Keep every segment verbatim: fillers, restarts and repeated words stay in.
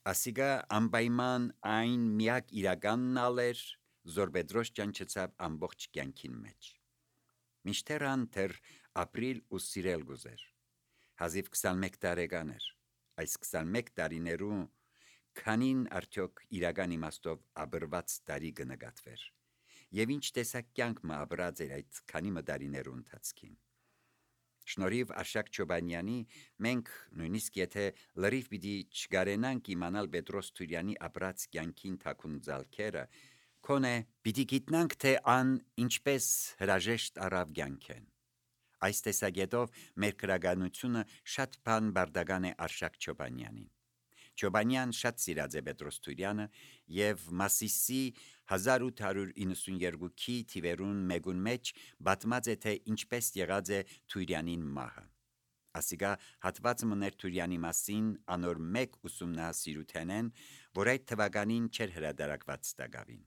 Ասիգա անպայման այն միակ իրականն ալեր, զոր Պետրոս ճանչեցավ ամբողջ կյանքին մեջ։ Միշտեր ան թեր ապրիլ ու սիրել գուզեր։ Հազիվ քսանմեկ տարեկան էր։ Այս քսանմեկ տարիներու քանին արդյոք իրական իմաստով աբրված տարի կնկատվեր։ Եվ ինչ տեսակ կյանք մը ապրած էր այդ քանի տարիներու ընթացքին։ Շնորհիվ Արշակ Չոբանյանի մենք նույնիսկ եթե լրիվ պիտի չգարենանք իմանալ Պետրոս Թուրյանի ապրած կյանքին թաքուն ձալքերը, քոնե պիտի գիտնանք, թե ան ինչպես հրաժեշտ առավ կյանքեն։ Այս տեսակետով մեր քրագանությունը շատ բան բարդական է Արշակ Չոբանյանին։ Չոբանյան շատ սիրած է Պետրոս Թուրյանը եւ Մասիսի հազար ութ հարյուր իննսունյոթի թիվերուն մեկուն մեջ պատմած է, թե ինչպես եղած է Թուրյանին մահը։ Ասիգա հատված մներ Թուրյանի մասին անոր մեկ ուսումնասիրութենեն, որ այդ թվականին չէր հրադարակված տագավին։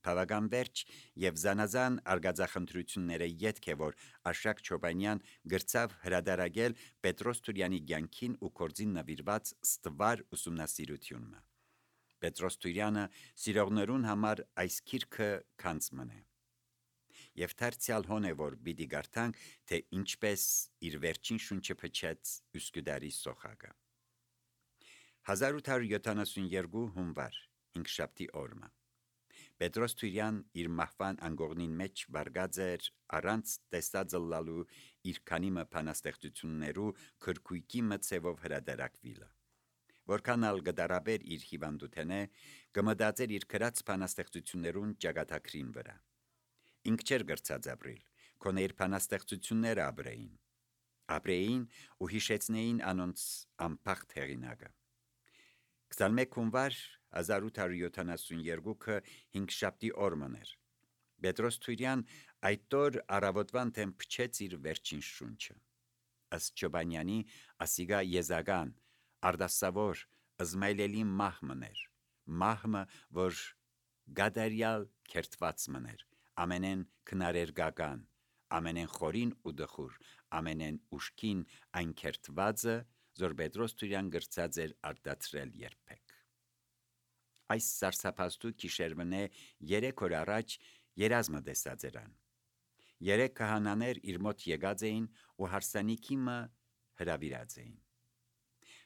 Բավական վերջ եւ զանազան արգածախնդրությունները յետք է, որ Արշակ Չոբանյան գրծավ հրադարակել Պետրոս Թուրյանի կյանքին ու կորձին նվիրված ստվար ուսումնասիրությունը։ Պետրոս Թուրյանը սիրողներուն համար այս գիրքը քանձմն է։ Եվ դարձյալ հոն է, որ պիտի գարտանք, թե ինչպես իր վերջին շունչը փչեց Üsküdarի սոխակը։ հազար ութ հարյուր յոթանասունյոթ հունվար հինգշաբթի օրը Պետրոս Թուրյան իր մահվան անգողնին մեջ վարգած էր առանց տեսածը լալու իր քանիմը բանաստեղծություններու քրքույկի մցևով հրադարակվիլը։ Որքան ալ գդարաբեր իր հիվանդութենե, կմտածեր իր գրած բանաստեղծություններուն ճակատագրին վրա։ Ինք չէր գրծած ապրիլ, քոնե իր բանաստեղծությունները ապրեին։ Ապրեին ու հիշեցնեին անոնց անփախտ հեղինակը։ քսանմեկ հունվար հազար ութ հարյուր յոթանասունյոթը հինգշաբթի օրն էր։ Պետրոս Թուրյան այդ օր առավոտվան թեմ փչեց իր վերջին շունչը։ Ըստ Չոբանյանի ասիգա եզական, արդասավոր, ըզմայլելի մահմն էր, մահմը, որ գադարյալ քերթված մներ, ամենեն քնարերգական, ամենեն խորին ու դխուր, ամենեն ուշքին այն քերթվածը, զոր Պետրոս Թուրյան գրծած էր արտացրել երբեք։ Այս սարսափաստու գիշերվնե երեք օր առաջ երազմը տեսած երան։ Երեք քահանաներ իր մոտ եկած էին ու հարսանիքի մը հրավիրած էին։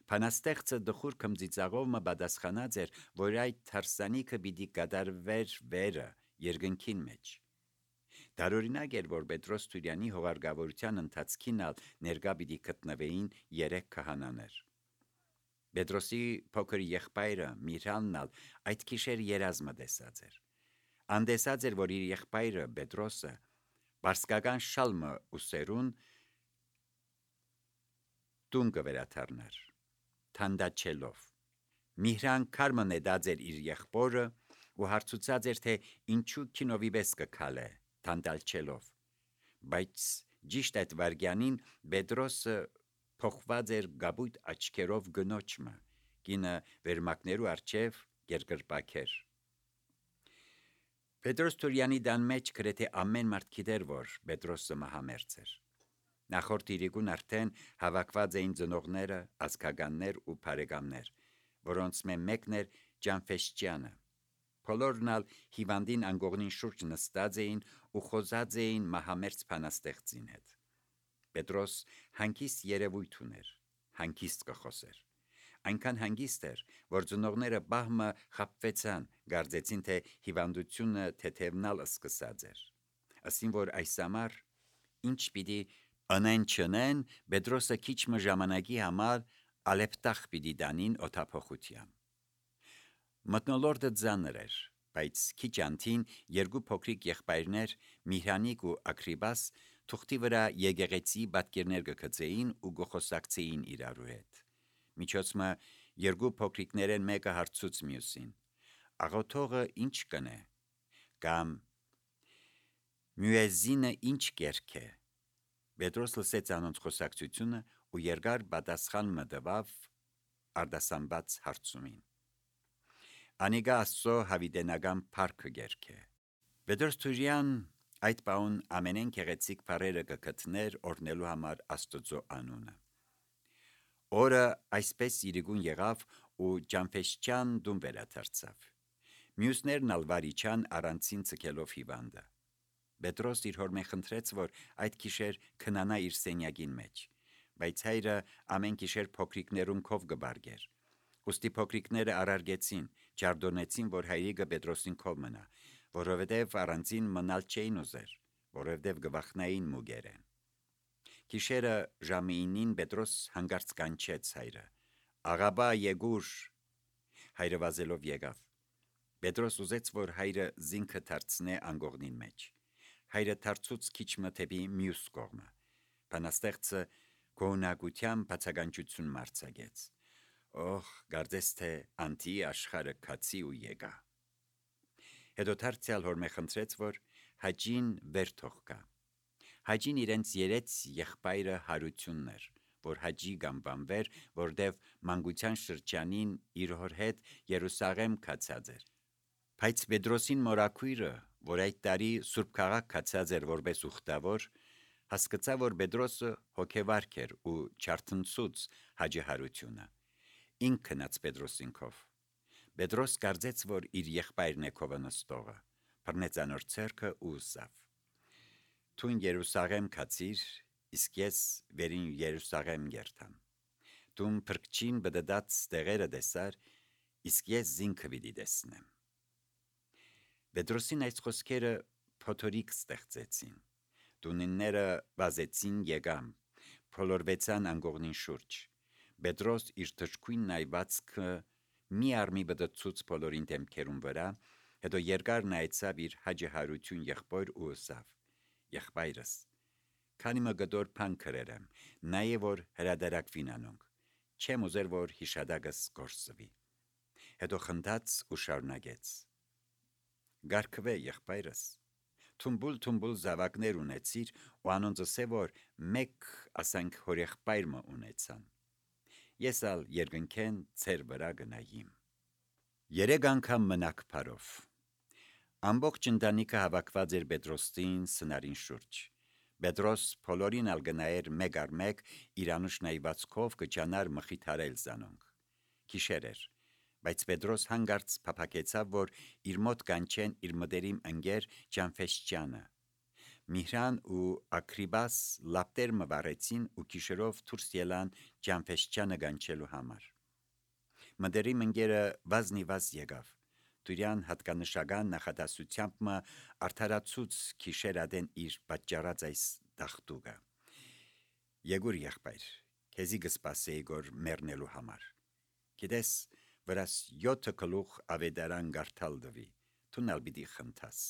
Փանաստեղծը դխուր քմծիծաղով մը պատասխանած էր, որ այդ հարսանիքը պիտի կատարվեր վերը երկնքին մեջ։ Դարօրինակ էր, որ Պետրոս Թուրյանի հողարգավորության ընթացքին ալ ներկա պիտի գտնվեին երեք քահանաներ։ Պետրոսի փոքր եղբայրը Միրհանն ալ այդ գիշեր երազմը տեսած էր։ Անդեսած էր, որ իր եղբայրը Պետրոսը բարսկական շալմը ուսերուն տուն կվերաթարներ, թանդաչելով։ Միրհան քարմը նետած էր իր եղբորը ու հարցուցած էր, թե ինչու քինովի պես կքալե, թանդալչելով։ Բայց ճիշտ այդ վարգյանին Պետրոսը փոխված էր գաբույտ աչքերով գնոջը, կինը վերմակներու առջև երկրպագեր։ Պետրոս Թուրյանի դան մեջ գրեթե ամեն մարդ գիտեր, որ Պետրոսը մահամերձ էր։ Նախորդ իրիկուն արդեն հավաքված էին ծնողները, ազգականներ ու բարեկամներ, որոնց մեկն էր Ջանֆեշճյանը։ Բոլորն ալ հիվանդին անգողնին շուրջ նստած էին ու խոսած էին մահամերձ բանաստեղծին հետ։ Պետրոս հանգիստ երևույթ ուներ, հանգիստ կխոսեր։ Այնքան հանգիստ էր, որ ծնողները բահմը խաբվեցան, գարձեցին, թե հիվանդությունը թեթևնալ սկսած էր։ Ասին, որ այս ամառ ինչ պիտի անեն չնեն, Պետրոսը քիչ մը ժամանակի համար ալեպտախ պիտի դանին օդափոխությամբ։ Մթնոլորտը ծանր էր, բայց քիչ անտին երկու փոքրիկ եղբայրներ Միրհանիկ ու Ագրիպաս թուղթի վրա եկեղեցի պատկերներ կգծեին ու գխոսակցեին իրարու հետ։ Միջոցմը երկու փոքրիկներեն մեկը հարցուց մյուսին. «Աղոթողը ինչ կնե» կամ «Մյուեզինը ինչ կերք է»։ Պետրոս լսեց անոնց խոսակցությունը ու երկար պատասխան մը տվավ արդասանված հարցումին։ Անիգա Աստծո հավիտենական փառքը գերք է։ Պետրոս Թուրյան այդ բան ամենեն գեղեցիկ բառերը կգտներ օրնելու համար Աստծո անունը։ Օրը այսպես իրիկուն եղավ ու Ջանֆեշչյան դուն վերադարձավ։ Մյուսներն ալ վարիչան առանցին ցկելով հիվանդը։ Պետրոս իր հորմեն խնդրեց, որ այդ գիշեր քնանա իր սենյակին մեջ, բայց հայրը ամեն գիշեր փոքրիկներուն քով գբարգեր։ Ուստի փոքրիկները արարգեցին, ջարդոնեցին, որ հայրիկը Պետրոսին քով մնա, որովհետև առանցին մնալ չէին ուզեր, որովհետև գվախնային մուգերեն։ Գիշերը ժամը ինին Պետրոս հանգարց կանչեց հայրը. «Աղաբա եկուր»։ Հայրը վազելով եկավ։ Պետրոս ուզեց, որ հայրը զինքը դարձնե անգողնին մեջ։ Հայրը դարձուց քիչմը թեպի մյուս կողմը։ Բանաստեղծը գոհունակությամբ բացականչություն մարձագեց. «Օհ, գարձես թե անտի աշխարը քացի ու եկա»։ Հետո դարձյալ հորմե խնդրեց, որ Հաջին վեր թող գա։ Հաջին իրենց երեց եղբայրը Հարությունն էր, որ Հաջի գանվանվեր, որտև մանկության շրջանին իր հոր հետ Երուսաղեմ գացած էր։ Բայց Պետրոսին մորաքույրը, որ այդ տարի Սուրբ քաղաք գացած էր որպես ուխտավոր, հասկացավ, որ Պետրոսը հոգևարք էր ու չարթնցուց Հաջի Հարությունը։ Ինք քնած Պետրոսին քով։ Պետրոս կարծեց, որ իր եղբայրն է քովը նստողը, բռնեց անոր ցերկը ու ուսավ. «Թուն Երուսաղեմ գացիր, իսկ ես վերին Երուսաղեմ գերտամ։ Դուն փրկչին բդդած տեղերը դեսար, իսկ ես զինքը պիտի տեսնեմ»։ Պետրոսին այս խոսքերը փոթորիկ ստեղծեցին։ Տունինները վազեցին եկամ, փոլորվեցան անգողնին շուրջ։ Պետրոս իր թշկույն նայվածքը մի արմի բդծուց բոլորին դեմքերուն վրա, հետո երկար նայեցավ իր Հաջի Հարություն եղբոր ու ուսավ. «Եղբայրս, քանի մը գդոր փան քրերեմ, նայե որ հրադարակվին անոնք, չեմ ուզեր որ հիշադակս գործվի»։ Հետո խնդաց ու շարունակեց. «Գարկվե եղբայրս, թումբուլ-թումբուլ զավակներ ունեցիր ու անոնց ասե որ մեկ ասանք հոր եղբայրը ունեցան։ Ես ալ երկնքեն ցեր վրա գնայիմ»։ Երեք անգամ մնաք փարով։ Ամբողջ ընտանիքը հավաքված էր Պետրոսին սնարին շուրջ։ Պետրոս բոլորին ալ գնայր մեկ առ մեկ իրանուշ նայվածքով կճանար մխիթարել զանոնք։ Գիշեր էր, բայց Պետրոս հանգարց փափակեցավ, որ իր մոտ կանչեն իր մտերիմ ընկեր Ջանֆեշչյանը։ Միհրան ու Ագրիպաս լապտեր մը վառեցին ու գիշերով դուրս ելան Ջանֆեշչյանը կանչելու համար։ Մտերիմ ընկերը վազնիվազ եկավ։ Տուրյան հատկանշական նախադասությամբ մը արդարացուց գիշեր ադեն իր պատճառած այս դախտուկը։ «Եկուր եղբայր, քեզի կսպասեի գոր մեռնելու համար։ Գիտես, վրաս յոթը գլուխ ավետարան գարթալ դվի, թունալ պիտի խնդաս»։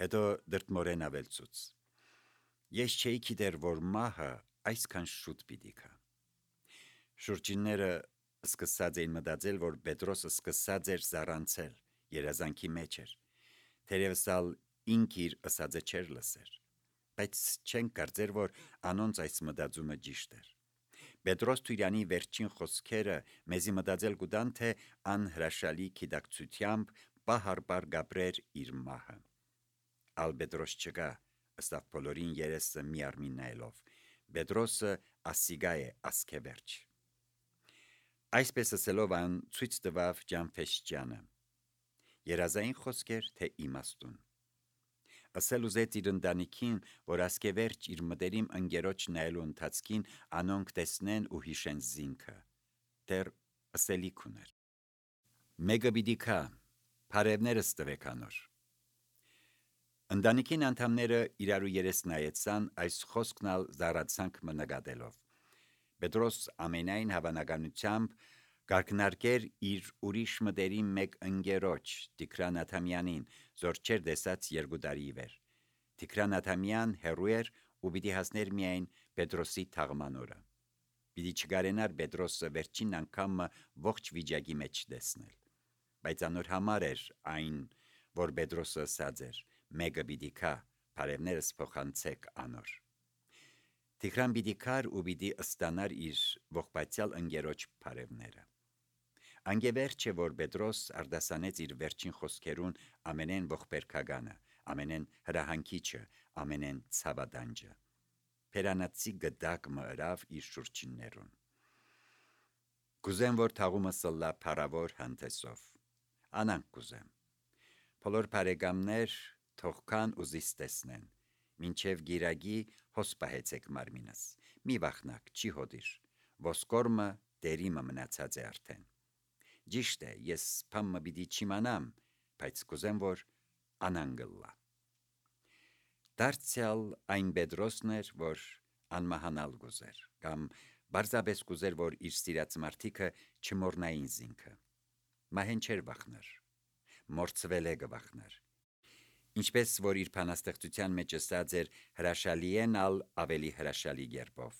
Հետո դրտմորեն ավելցուց. «Ես չէի գիտեր, որ մահը այսքան շուտ պիտի գա»։ Շուրջինները սկսած էին մտածել, որ Պետրոսը սկսած էր զառանցել, երազանքի մեջ էր, թերևս ալ ինք իր ըսածը չէր լսեր, բայց չեն կարծեր, որ անոնց այս մտածումը ճիշտ էր։ Պետրոս Թուրյանի վերջին խոսքերը մեզի մտածել կուտան, թե անհրաշալի գիտակցությամբ պահարբար գաբրեր իր մահը։ Ալ Պետրոս չկա, ըստավ բոլորին երեսը մի արմին նայելով, Պետրոսը ասիգա է ասկևերջ։ Այսպես ասելով ան ցույց տվավ Ջանֆեշչյանը։ Երազային խոսքեր, թե իմաստուն։ Ասել ուզեց իր ընտանիքին, որ ասկևերջ իր մտերիմ ընկերոջ նայելու ընթացքին անոնք տեսնեն ու հիշեն զինքը։ Դեռ ասելիք ուներ։ Մեկը պիտի գա, փարևներս տվեք անոր։ Ընտանիքին անդամները իրարու երես նայեցան, այս խոսքն ալ զառացանք մը նկատելով։ Պետրոս ամենայն հավանականությամբ կարգնարկեր իր ուրիշ մտերիմ մեկ ընկերոջ Տիգրան Աթամյանին, զոր չեր տեսած երկու տարի ի վեր։ Տիգրան Աթամյան հեռու էր ու պիտի հասներ միայն Պետրոսի թաղման օրը։ Պիտի չգարենար Պետրոսը վերջին անգամը ողջ վիճակի մեջ տեսնել։ Բայց անոր համար էր այն, որ Պետրոսը ասած էր. «Մեկը պիտի գա, փարևներս փոխանցեք անոր»։ Տիգրան պիտի գար ու պիտի ստանար իր ողբացյալ ընկերոջ փարևները։ Անգևերջ է, որ Պետրոս արդասանեց իր վերջին խոսքերուն ամենեն ողբերգականը, ամենեն հրահանգիչը, ամենեն ցավադանջը։ Փերանացի գդակ մը ըրավ իր շուրջիններուն։ Կուզեմ, որ թաղումը սլլա փարավոր հանդեսով։ Անանք կուզեմ։ Բոլոր բարեկամներ թողքան ուզիս տեսնեն։ Մինչև գիրագի հոս պահեցեք մարմինս։ Մի վախնակ, չի հոդիր։ Ոսկորմը դերիմը մնացած է արդեն։ Ճիշտ է, ես փամը պիտի չիմանամ, բայց կուզեմ, որ անանգլլա։ Դարձյալ այն Պետրոսն էր, որ անմահանալ գուզեր, կամ բարձաբես գուզեր, որ իր սիրած մարդիկը չմորնային զինքը։ Մահեն չեր վախներ, մորցվել է գվախներ։ Ինչպես որ իր բանաստեղծության մեջ ասած էր հրաշալի են ալ ավելի հրաշալի գերբով։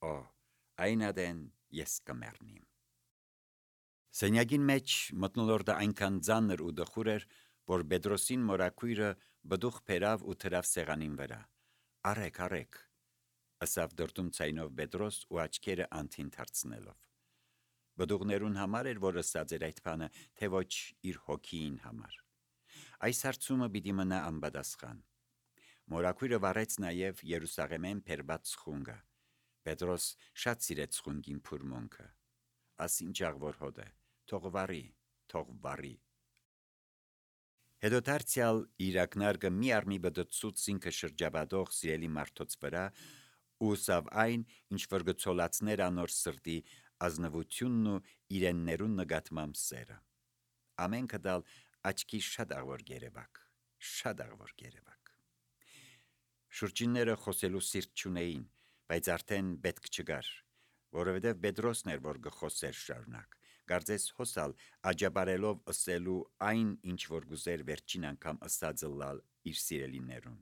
Օ, այն ադեն ես կմեռնիմ։ Սենյակին մեջ մթնոլորտը այնքան ծանր ու դխուր էր, որ Պետրոսին մորակույրը բդուխ բերավ ու թրավ սեղանին վրա։ Արեք, արեք, ասավ դրտում ցայնով Պետրոս ու աչքերը անթին դարձնելով։ Բդուղներուն համար էր, որ ասած էր այդ բանը, թե ոչ իր հոգին համար։ Այս հարցումը պիտի մնա անպատասխան։ Մորակույրը վառեց նաև Երուսաղեմեն բերված խունգը։ Պետրոս շատ սիրեց խունգին փուրմունքը։ Ասին ջաղվոր հոդ է, թող վառի, թող վառի։ Հետո դարձյալ իր ակնարկը մի առմի բդծուց ինքը շրջաբադող սիրելի մարդոց վրա ու սավ այն, ինչ որ գցոլացներ անոր սրտի ազնվությունն ու իրեններուն նկատմամբ սերը։ Ամենքը դալ աչքի շատ աղվոր գերեբակ, շատ աղվոր գերեբակ։ Շուրջինները խոսելու սիրտ չունեին, բայց արդեն պետք չգար, որովհետև Պետրոսն էր, որ գխոսեր շարունակ, կարծես հոսալ աջաբարելով ըսելու այն, ինչ որ գուզեր վերջին անգամ ըսածը լալ իր սիրելիներուն։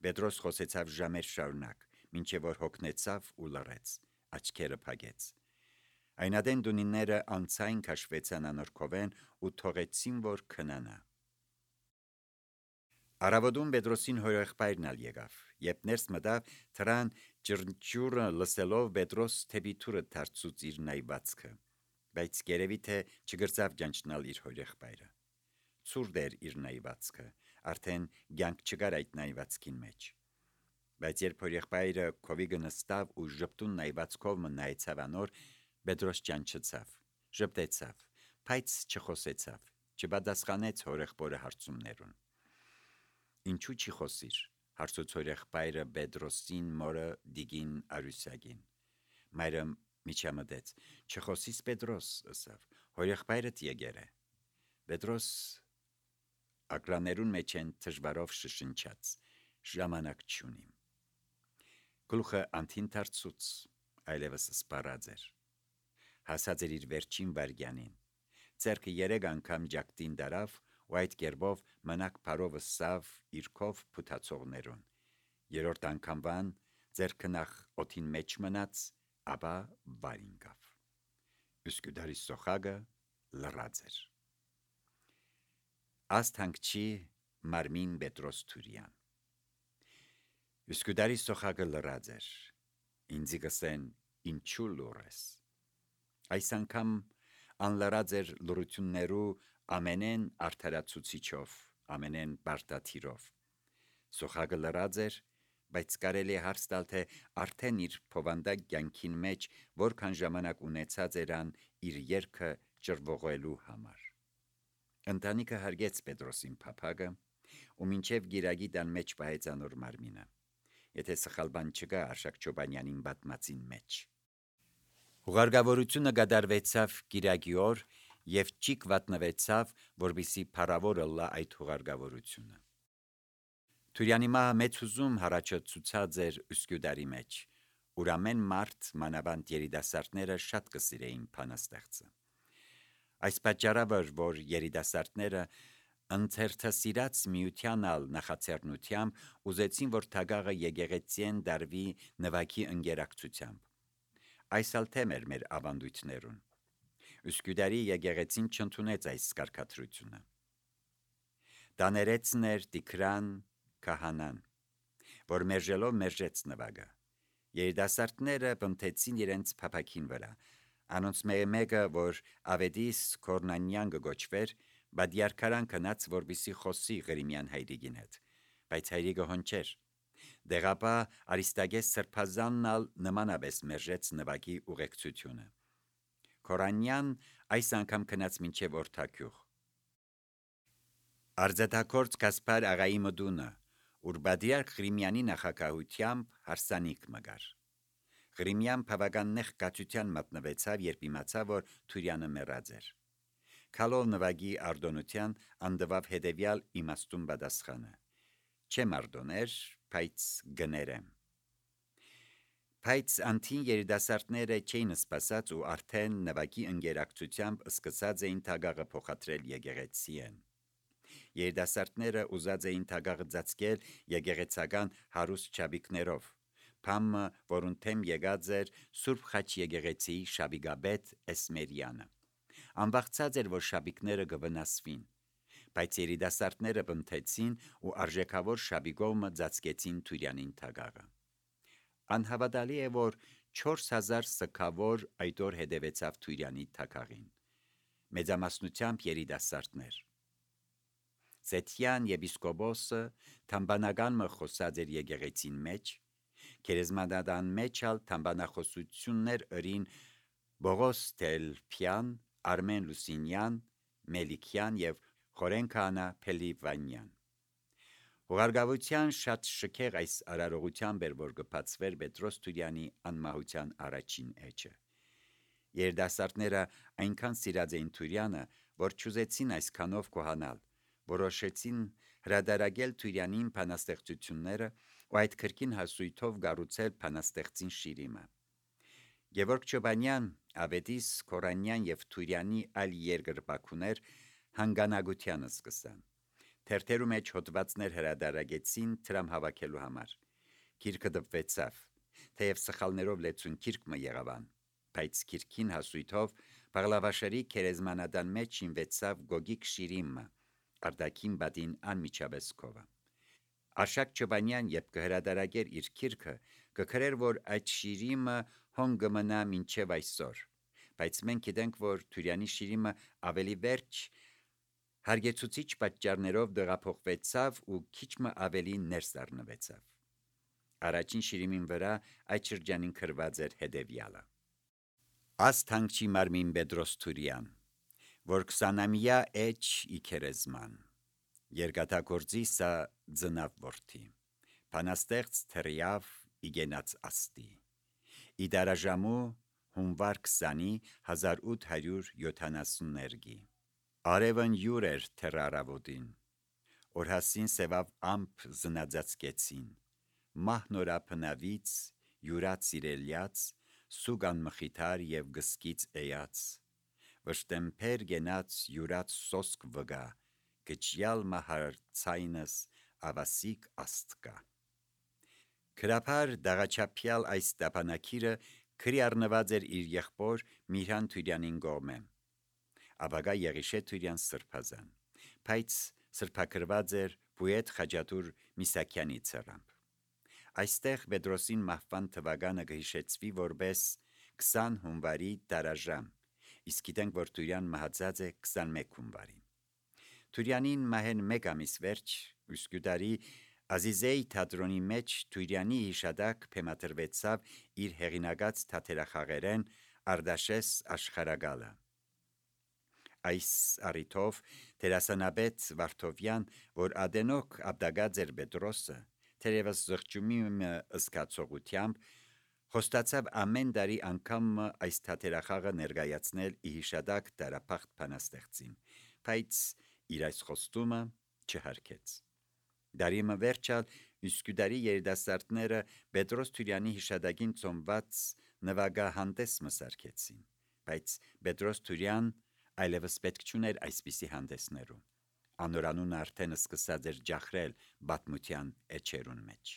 Պետրոս խոսեցավ ժամեր շարունակ, մինչև որ հոգնեցավ ու լռեց, աչքերը փակեց։ Այնադեն դունիները անցայն քաշվեցան անորքովեն ու թողեցին, որ քնանա։ Արավոտուն Պետրոսին հորեղբայրն ալ եկավ, երբ ներս մտավ, թրան ճռնճուրը լսելով Պետրոս թեպի թուրը դարձուց իր նայվածքը, բայց գերևի թե չգրծավ ջանչնալ իր հորեղբայրը։ Ցուրտ էր իր նայվածքը, արդեն ցանկ չկար այդ նայվածքին մեջ։ Բայց երբ հորեղբայրը քովիգը նստավ ու ժպտուն նայվածքով մը նայեցավ անոր, Պետրոս ջանչեցավ, ժպտեցավ, բայց չխոսեցավ, չպատասխանեց հորեղբորը հարցումներուն։ Ինչու չի խոսիր, հարցուց հորեղբայրը Պետրոսին մորը Դիգին Արուսյագին։ Մայրը միջամտեց, չխոսիս Պետրոս, ասավ, հորեղբայրդ եկեր է։ Պետրոս ակրաներուն մեջ են թժվարով շշնչաց, ժամանակ չունիմ։ Գլուխը անթին դարձուց, այլևս սպառած էր։ Հասած էր իր վերջին վարգյանին։ Ձեռքը երեք անգամ ջակտին դարավ ու այդ կերպով մնակ փարովը սավ իրքով փութացողներուն։ Երորդ անգամվան ձեռքը նախ օթին մեջ մնաց, ապա վարինգավ։ Üsküdarի սոխագը լռած էր։ Ասթանկչի Մարմին Պետրոս Թուրյան։ Üsküdarի սոխագը լռած էր։ Ինձի գսեն ինչու լուր ես։ Այս անգամ անլռած էր լռություններու ամենեն արդարացուցիչով, ամենեն բարտաթիրով։ Սոխագը լռած էր, բայց կարելի է հարց տալ, թե արդեն իր փովանդակ կյանքին մեջ որքան ժամանակ ունեցած երան իր երգը ճրվողելու համար։ Ընտանիքը հարգեց Պետրոսին փափագը ու մինչև գիրագի տան մեջ պահեց անոր մարմինը։ Եթե սխալ բան չկա Արշակ Չոբանյանին պատմածին մեջ։ Հուղարկավորությունը գդարվեցավ գիրագի օր եւ ճիկ վատնվեցավ, որբիսի փարավորը լա այդ հուղարկավորությունը։ Թուրյանի մահը մեծ հուզում հարաճը ցուցած էր Üsküdarի մեջ, ուր ամեն մարդ մանավանդ երիտասարդները շատ կսիրեին բանաստեղծը։ Այս պատճառով էր, որ երիտասարդները ընթերցասիրած միությանալ նախաձեռնությամբ ուզեցին, որ թագաղը եկեղեցին դարվի նվագի ընկերակցությամբ։ Այս ալ թեմ էր մեր ավանդույթներուն։ Üsküdarի եկեղեցին չընդունեց այս կարգադրությունը։ Դաներեցներ Տիգրան Քահանան, որ մերժելով մերժեց նվագը։ Երիտասարդները բնթեցին իրենց փափակին վրա։ Անոնց մեկը, որ Ավետիս Կորնանյան գոչվեր, բադյարքարան կնաց, որբիսի խոսի Ղրիմյան հայրիկին հետ, բայց հայրիկը հոնչեր։ Դեղապա Արիստագես Սրբազանն ալ նմանապես մերժեց նվագի ուղեկցությունը։ Խորանյան այս անգամ քնած մինչև օրթակյուղ։ Արձատակորց Կասպար աղայի մդունը, ուր Բադրիարք Ղրիմյանի նախակահությամբ հարսանիք մգար։ Ղրիմյան բավական նեղ կացության մատնվեցավ, երբ իմացավ, որ Թուրյանը մեռած էր։ Քալով նվագի արտոնության անդվավ հետևյալ իմաստուն պատասխանը. չեմ արտոներ, բայց գներեմ։ Բայց անթին երիտասարդները չէին սպասած ու արդեն նվագի ընկերակցությամբ սկսած էին թագաղը փոխադրել եկեղեցիեն։ Երիտասարդները ուզած էին թագաղը ծածկել եկեղեցական հարուստ շաբիկներով, փամը, որուն թեմ եկած էր Սուրբ Խաչ եկեղեցիի շաբիկաբեդ Էսմերյանը։ Անվախցած էր, որ շաբիկները կվնասվին, բայց երիտասարդները բնթեցին ու արժեքավոր շաբիկովը ծածկեցին Թուրյանին թագաղը։ Անհավատալի է, որ չորս հազար սգավոր այդ օր հետևեցավ Թուրյանի թագաղին, մեծամասնությամբ երիտասարդներ։ Զեթյան եպիսկոպոսը թամբանական խոսած էր եկեղեցին մեջ, գերեզմանատան մեջ ալ թամբանախոսություններ ըրին Բողոս Թելփյան, Արմեն Լուսինյան, Մելիքյան և Խորեն քահանա Փելիվանյան։ Ուղարկավության շատ շքեղ այս արարողությամբ էր, որ կբացվեր Պետրոս Թուրյանի անմահության առաջին էջը։ Երիտասարդները այնքան սիրած էին Թուրյանը, որ չուզեցին այսքանով կոհանալ, որոշեցին հրադարագել Թուրյանին բանաստեղծությունները ու այդ քրքին հասույթով կառուցել բանաստեղծին շիրիմը։ Գևորգ Չոբանյան, Ավետիս Խորանյան և Թուրյանի այլ երկրպագուներ հանգանակությանը սկսան։ Թերթերու մեջ հոդվածներ հրադարագեցին դրամ հավաքելու համար։ Գիրքը դպվեցավ, թեև սխալներով լեցուն գիրք մը եղավան, բայց գիրքին հասույթով Բաղլավաշարի գերեզմանատան մեջ ինվեցավ գոգիկ շիրիմը, արտաքին բադին անմիջապես կովը։ Արշակ Չոբանյան, երբ կհրադարագեր իր գիրքը, կգրեր, որ այդ շիրիմը հոն կմնա մինչև այսօր, բայց մենք գիտենք, որ Թուրյանի շիրիմը ավելի վերջ հարգեցուցիչ պատճառներով դեղափոխվեցավ ու քիչմը ավելի ներս առնվեցավ։ Առաջին շիրիմին վրա այդ շրջանին գրված էր հետևյալը. Աստ հանգչի մարմին Պետրոս Թուրյան, որ քսանամյա էջ իքերեզման, երկաթագործի սա ծնավ որդի, բանաստեղծ թրյավ իգենած աստի, իդարաժամու հունվար քսանի հազար ութ հարյուր յոթանասուններկի, արևն յուր էր թեռարավոտին, օրհասին սևավ ամպ զնաձացկեցին, մահ նորափնավից, յուրած իրելյաց, սուգան մխիթար և գսկից էյաց, վշտեմպեր գենաց յուրած սոսկ վգա, գջյալ մահար ցայնս ավասիկ աստկա։ Գրաբար դաղաչափյալ այս տապանակիրը քրի առնված էր իր եղբոր Միրհան Թուրյանին կողմէ, ապագա Եղիշե Թուրյան սրբազան, բայց սրբագրված էր Բուետ Խաչատուր Միսակյանի ցերամբ։ Այստեղ Պետրոսին մահվան թվականը կհիշեցվի որպես քսան հունվարի դարաժամ, իսկ գիտենք, որ Թուրյան մահացած է քսանմեկ հունվարին։ Թուրյանին մահեն մեկ ամիս վերջ Ուսկյուդարի Ազիզեի թատրոնի մեջ Թուրյանի հիշադակ փեմադրվեցավ իր հեղինակած թատերախաղերեն Արդաշես աշխարհակալը։ Այս առիթով դերասանաբեդ Վարդովյան, որ ադենոք աբդագած էր Պետրոսը, թերևս զղջումի ըսկացողությամբ, խոստացավ ամեն տարի անգամ այս թատերախաղը ներկայացնել ի հիշադակ դարապախտ բանաստեղծին, բայց իր այս խոստումը չհարգեց։ Դարիմը վերջալ Ուսկյուդարի երիտասարդները Պետրոս Թուրյանի հիշադակին ծնված նվագահանդես մսարկեցին, բայց Պետրոս Թուրյան այլևս պետք չուներ այսպիսի հանդեսներում, անորանունը արդեն սկսած էր ջախրել պատմության էջերուն մեջ։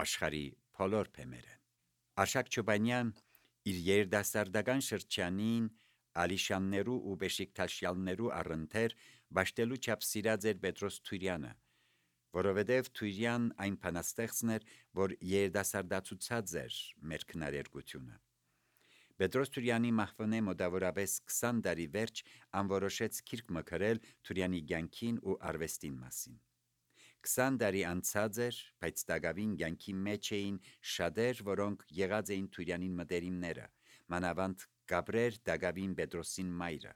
Աշխարհի բոլոր փեմերը։ Արշակ Չոբանյան իր երիտասարդական շրջանին ալիշաններու ու բեշիկտաշյալներու առընթեր բաշտելու չափ սիրած էր Պետրոս Թուրյանը, որովհետև Թուրյան այն բանաստեղծն էր, որ երիտասարդացուցած էր մեր քնարերգությունը։ Պետրոս Թուրյանի մահվանե մոտավորապես քսան տարի վերջ անորոշեց գիրք մը գրել Թուրյանի կյանքին ու արվեստին մասին։ Քսան տարի անցած էր, բայց տակավին կյանքի մեջ էին շատեր, որոնք եղած էին Թուրյանին մտերիմները, մանավանդ Գաբրեր Դագավին Պետրոսին մայրը,